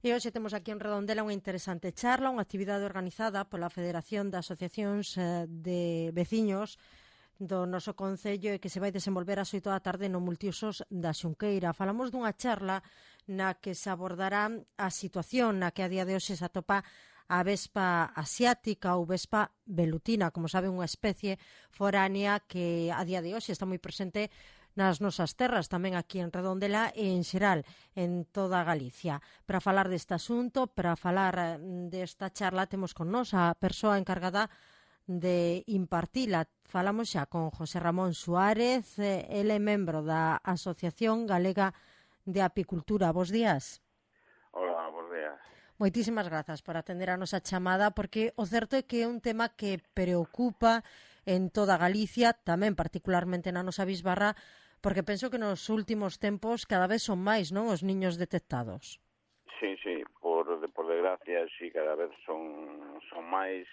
E hoxe temos aquí en Redondela unha interesante charla, unha actividade organizada pola Federación de Asociacións de Veciños do noso Concello e que se vai desenvolver ás 8 da tarde no Multiusos da Xunqueira. Falamos dunha charla na que se abordará a situación na que a día de hoxe se atopa a vespa asiática ou vespa velutina, como sabe, unha especie foránea que a día de hoxe está moi presente nas nosas terras, tamén aquí en Redondela e en xeral en toda Galicia. Para falar deste asunto, para falar desta charla, temos con nós a persoa encargada de impartila. Falamos xa con José Ramón Suárez, ele é membro da Asociación Galega de Apicultura. Bos días. Hola, bos días. Moitísimas grazas por atender a nosa chamada, porque o certo é que é un tema que preocupa en toda Galicia, tamén particularmente na nosa bisbarra, porque penso que nos últimos tempos cada vez son máis, non, os niños detectados. Sí, por desgracia, sí, cada vez son máis,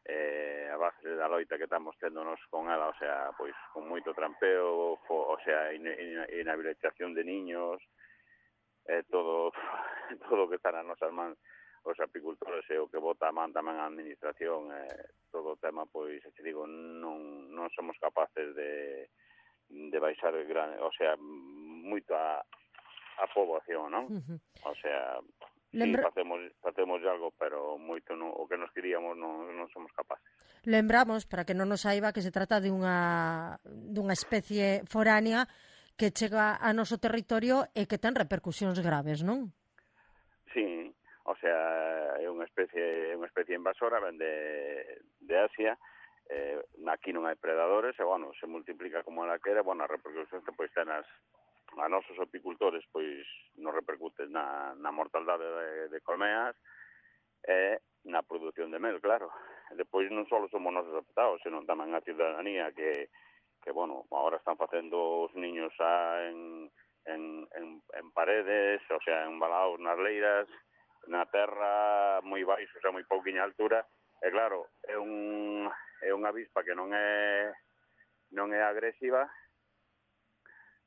a base da loita que estamos tendonos con ela, o sea, pois con moito trampeo, o sea, inhabilitación de niños, todo que está nas nosas mans, os apicultores e o que bota a man tamén a administración, todo o tema, pois, te digo, non somos capaces de baixar o sea, moito a poboación, non? O sea, sí, facemos algo, pero moito o que nos queríamos non somos capaces. Lembramos, para que non nos saiba, que se trata de unha especie foránea que chega a noso territorio e que ten repercusións graves, non? Sí, o sea, é unha especie invasora, ven de Asia. Aquí non hai predadores e, bueno, se multiplica como ela quere, bueno, a repercusión que pois ten a nosos apicultores, pois nos repercute na mortaldade de colmeas e na produción de mel, claro. Depois non só somos nosos afectados, senón tamén a ciudadanía que bueno, agora están facendo os niños en paredes, o sea, embalados nas leiras, na terra moi baixo, o sea, moi pouquiña altura, e claro, é unha avispa que non é agresiva,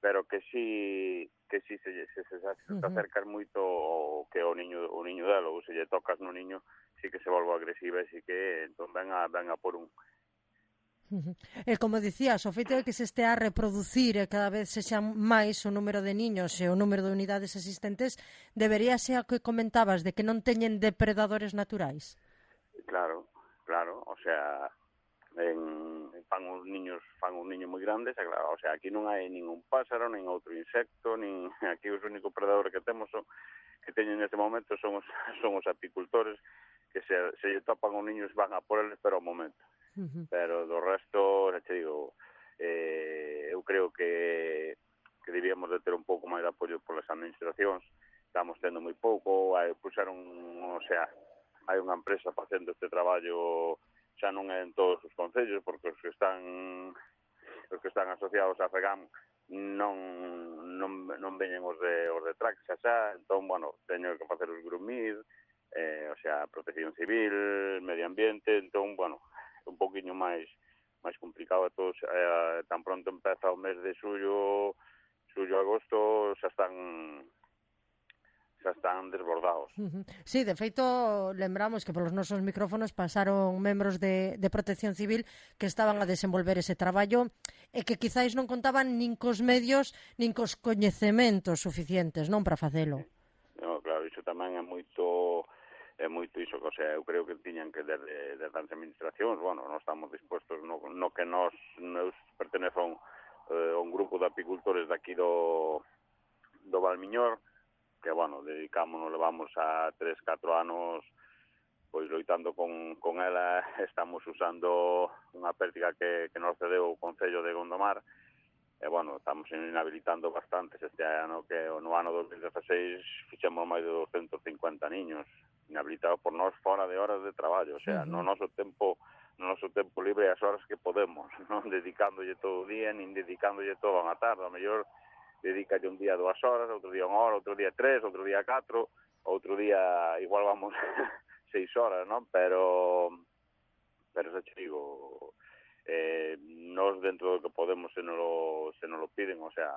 pero que si se acercas moito que o niño dela, ou se lle tocas no niño, si que se volve agresiva e si que entón ven a por un. E como dicías, o feito de que se estea a reproducir e cada vez sexa máis o número de niños e o número de unidades existentes, debería ser o que comentabas, de que non teñen depredadores naturais. Claro, o sea, fan uns niños moi grandes, e claro, o sea, aquí non hai ningún páxaro, nin outro insecto, nin aquí os únicos predadores que temos que teñen neste momento son os apicultores, que se lle topan os niños van a por eles, pero ao momento. Pero do resto, te digo, eu creo que debíamos de ter un pouco máis de apoio polas administracións. Estamos tendo moi pouco, puxeron, o sea, hai unha empresa facendo este traballo, xa non é en todos os concellos, porque os que están asociados a FEGAM non veñen os de TRAC, xa, entón, bueno, teño que facer os GRUMID, o sea, Protección Civil, Medio Ambiente, entón, bueno, un poquinho máis complicado a todos, tan pronto empeza o mes de xullo, agosto, xa están desbordados. Sí, de feito, lembramos que polos nosos micrófonos pasaron membros de Protección Civil que estaban a desenvolver ese traballo e que quizáis non contaban nin cos medios nin cos coñecementos suficientes, non, para facelo. No, claro, iso tamén é moito iso, o sea, eu creo que tiñan que desde as administracións, bueno, non estamos dispuestos no que nos pertenezo a un grupo de apicultores daqui do Valmiñor, que, bueno, levamos a 3-4 anos pois loitando con ela, estamos usando unha pértiga que nos cedeu o Concello de Gondomar, e, bueno, estamos inhabilitando bastantes este ano, que no ano 2016 fixemos máis de 250 niños inhabilitados por nós fora de horas de traballo, o sea, no noso tempo libre as horas que podemos, non dedicándolle todo o día, nin dedicándolle todo a tarde, a mellor dedícalle un día 2 horas, outro día 1 hora, outro día 3, outro día 4, outro día igual vamos 6 horas, non? Pero xa te digo, nós dentro do que podemos se nos lo piden, o sea,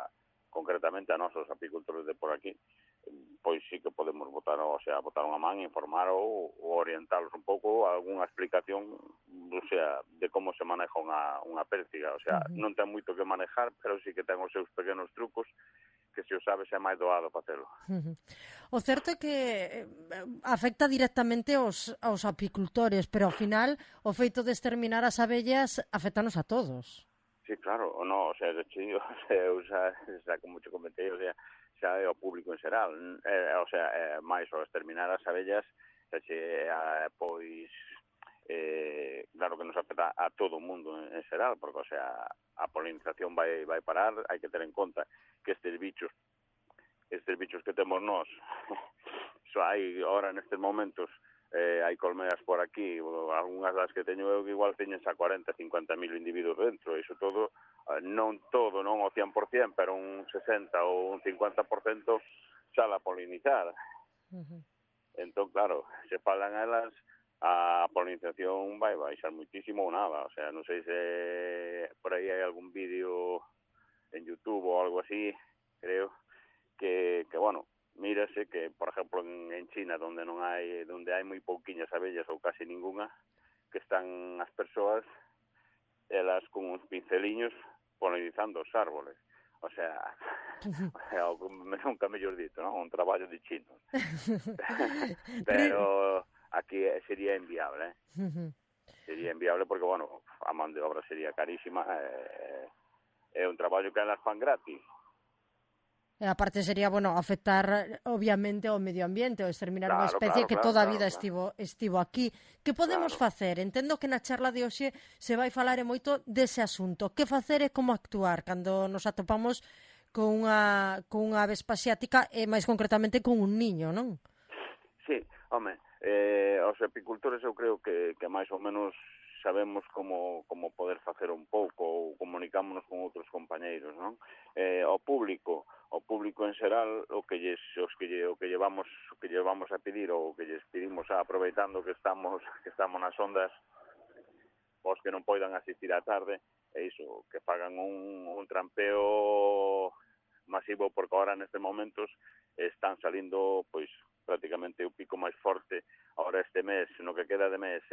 concretamente a nosos apicultores de por aquí, pois sí que podemos botar o sea, botar unha man, informar ou orientalos un pouco, algunha explicación, o sea, de como se maneja unha pértiga, o sea, non ten moito que manejar, pero sí que ten os seus pequenos trucos que se o sabes é máis doado facelo. O certo é que afecta directamente aos apicultores, pero ao final o feito de exterminar as abellas afectanos a todos. Sí, claro, o no, o sea, de hecho, eu xa como te comentei, o sea, xa é o público en xeral, o sea, máis o exterminar as abellas, pois, claro que nos afecta a todo o mundo en xeral, porque, o sea, a polinización vai parar, hai que ter en conta que estes bichos que temos nós, hai ahora nestes momentos, hai colmeas por aquí, algunhas das que teño eu que igual teñen xa 40, 50 mil individuos dentro, iso todo, non o 100%, pero un 60 ou un 50% xa la polinizar. Entón, claro, se falan elas, a polinización vai baixar muitísimo ou nada, o sea, non sei se por aí hai algún vídeo en YouTube ou algo así, creo, que bueno, mírase que, por exemplo, en China, donde hai moi pouquiñas abellas ou casi ninguna, que están as persoas, elas con uns pinceliños polinizando os árboles. O sea, nunca mellor dito, non? Un traballo de chinos. Pero aquí sería inviable, Sería inviable porque, bueno, a man de obra sería carísima, é un traballo que elas fan gratis. E aparte sería, bueno, afectar obviamente ao medio ambiente, ou exterminar unha especie que toda a vida estivo aquí. Que podemos facer? Entendo que na charla de hoxe se vai falar moito dese asunto. Que facer e como actuar cando nos atopamos con unha avespa asiática e máis concretamente con un niño, non? Sí, home, os apicultores eu creo que máis ou menos sabemos como poder facer un pouco ou comunicámonos con outros compañeiros, non? O público en xeral, o que llevamos a pedir ou que lles pedimos aproveitando que estamos nas ondas, os que non poidan asistir á tarde, é iso, que fagan un trampeo masivo, porque ahora nestes momentos están salindo, pois, prácticamente o pico máis forte ahora este mes, no que queda de mes,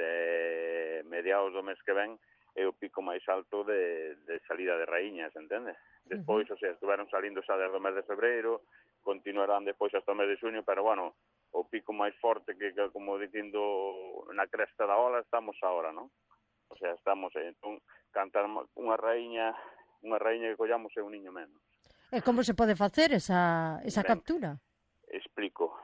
mediados do mes que ven, é o pico máis alto de salida de raíñas, entende? Despois, o sea, estuveron salindo xa desde o mes de febreiro, continuarán despois hasta o mes de xuño, pero, bueno, o pico máis forte que como dicindo, na cresta da ola estamos ahora, non? O sea, estamos, entón, cantar unha raíña que collamos é un niño menos. E como se pode facer esa captura? Explico.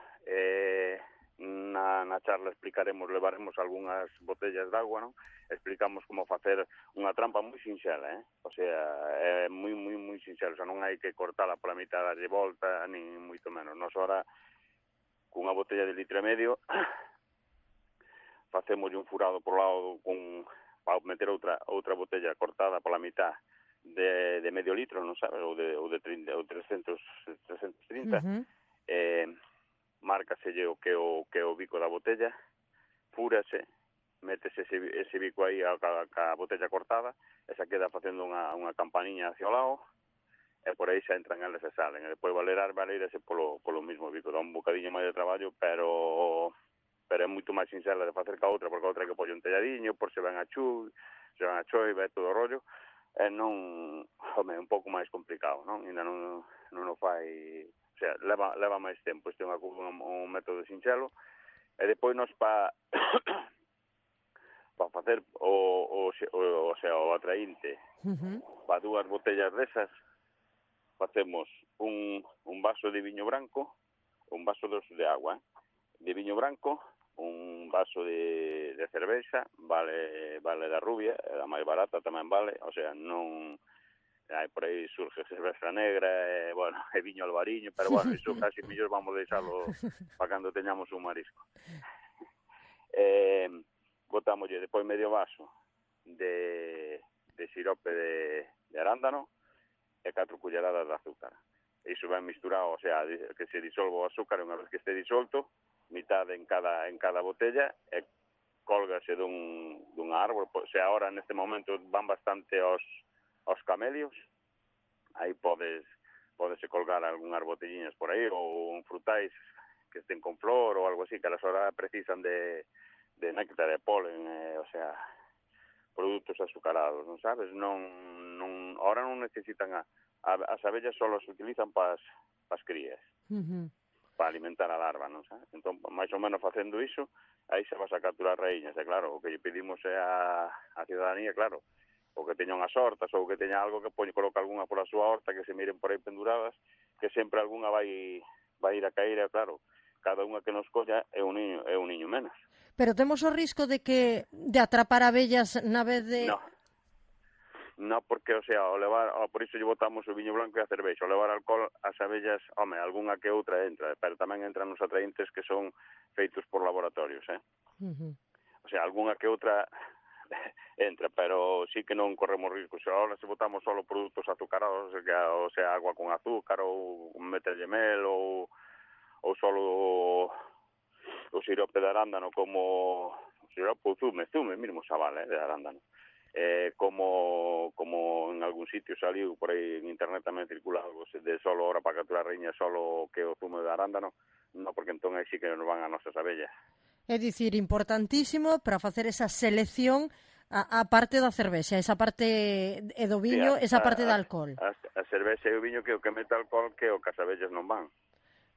Na charla levaremos algunhas botellas de agua, non? Explicamos como facer unha trampa moi sinxela, O sea, é moi sinxela, o sea, non hai que cortala pola mitad, darlle volta, nin moito menos. Nos ahora, cunha botella de 1,5 litros, facemos un furado por lado para meter outra botella cortada pola mitad de medio litro, non sabes, ou de 30, ou 330, márcaselle o que o bico da botella, fúrase, métese ese bico aí a botella cortada, e xa queda facendo unha campaniña hacia o lado, e por aí xa entran eles e salen, e depois valerase polo mismo bico, dá un bocadiño máis de traballo, pero é moito máis sincera de facer que a outra, porque a outra que pode un telladiño, por se ven a choiva e todo o rollo, e non, home, un pouco máis complicado, non? Ainda non o fai, o sea, leva máis tempo, este é un método sinxelo, e depois nos para facer o atraínte para 2 botellas desas, facemos un vaso de viño branco, un vaso de agua, de viño branco, un vaso de cervexa, vale da rubia, a máis barata tamén vale, o sea, non hai por aí surge cervexa negra, bueno, e viño albariño, pero bueno, iso casi mellor vamos deixalo para cando teñamos un marisco. Botámoslle depois medio vaso de sirope de arándano e 4 culleradas de azúcar. Iso ben misturado, o sea, que se disolva o azúcar, unha vez que este disolto, mitad en cada botella, e cólgase dun árbol. O sea, ahora neste momento van bastante aos camelios, aí podese colgar algunhas botelliñas por aí, ou un frutais que estén con flor ou algo así, que a las horas precisan de néctar, de polen, o sea, produtos azucarados, non sabes? Ahora non necesitan as abellas só se utilizan para as crías, para alimentar a larva, non sabes? Entón, máis ou menos facendo iso, aí se vas a capturar raíñas, e claro, o que lle pedimos é a ciudadanía, claro, ou que teña unhas hortas, ou que teña algo que coloca algunha pola súa horta, que se miren por aí penduradas, que sempre algunha vai ir a caer, e claro, cada unha que nos colla é un niño menos. Pero temos o risco de atrapar abellas na vez de... No, porque, o sea, por iso lle botamos o viño blanco e a cervexa, o levar alcohol, as abellas, algunha que outra entra, pero tamén entran nos atraíntes que son feitos por laboratorios, O sea, algunha que outra entra, pero sí que non corremos risco. Se ahora se botamos só produtos azucarados, o sea, agua con azúcar, ou meterlle mel, ou solo o sirope de arándano, como o sirope ou zume mesmo xa vale, de arándano. Como en algún sitio saliu por aí en internet tamén circula algo de solo hora para capturar raíña, solo que o zume de arándano, no, porque entón aí sí que nos van a nosas abellas. É dicir, importantísimo para facer esa selección a parte da cervexa, esa parte do viño, esa parte do alcohol. A cervexa e o viño que o que mete alcohol que o que as abellas non van.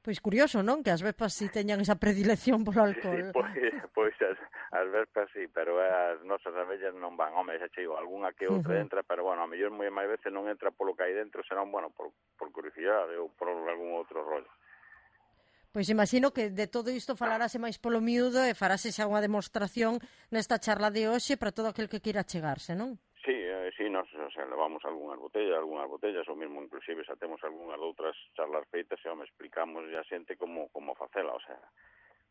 Pois curioso, non? Que as vespas si teñan esa predilección polo alcohol. Sí, pois as vespas sí, pero as nosas abellas non van. Home, xa che digo, algunha que outra entra, pero bueno, a mellor moi máis veces non entra polo que hai dentro, senón, bueno, por curiosidade ou por algún outro rollo. Pois imagino que de todo isto falarase máis polo miúdo e farase xa unha demostración nesta charla de hoxe para todo aquel que queira chegarse, non? Sí, nos levamos algunhas botellas, ou mesmo inclusive xa temos algunhas outras charlas feitas e explicamos a xente como facela, o sea,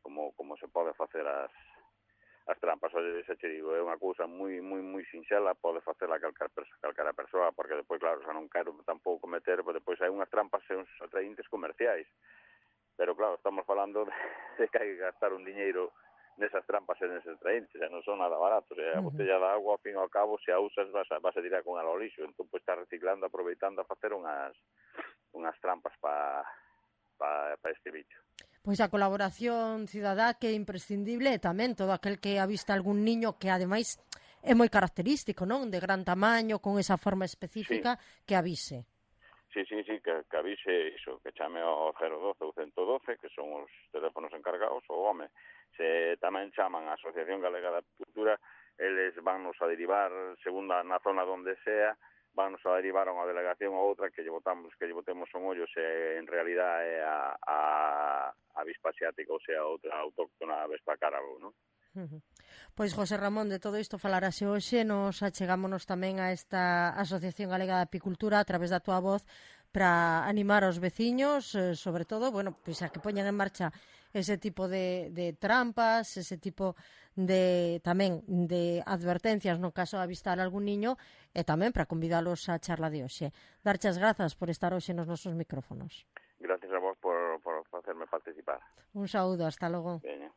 como se pode facer as trampas. Oye, xa che digo, é unha cousa moi sinxela, pode facela calquera persoa, porque depois, claro, xa non quero tampouco meter, porque depois hai unhas trampas e uns atraíntes comerciais. Pero claro, estamos falando de que hai que gastar un diñeiro nesas trampas e neses atraíntes, xa non son nada baratos. A botella de agua, ao fin e ao cabo, se a usas vas a tirar con ela ao lixo. Entón, pues, está reciclando, aproveitando a facer unhas trampas para este bicho. Pois a colaboración cidadá que é imprescindible e tamén todo aquel que avista algún niño que ademais é moi característico, non? De gran tamaño, con esa forma específica, sí. Que avise. Sí, que avise iso, que chame ao 012 ou 112, que son os teléfonos encargados, ou se tamén chaman a Asociación Galega da Apicultura, eles vannos a derivar, segundo na zona donde sea, vannos a derivar a unha delegación ou outra que lle botemos un ollo se en realidad é a avispa asiática, ou sea, outra autóctona avispa carabo, non? Pois, José Ramón, de todo isto falarase hoxe, nos achegámonos tamén a esta Asociación Galega de Apicultura a través da túa voz para animar aos veciños, sobre todo, bueno, pois a que poñan en marcha ese tipo de trampas, ese tipo tamén de advertencias no caso de avistar algún niño e tamén para convidalos á charla de hoxe. Darche as grazas por estar hoxe nos nosos micrófonos. Gracias a vos por facerme participar. Un saúdo, hasta logo. Veña.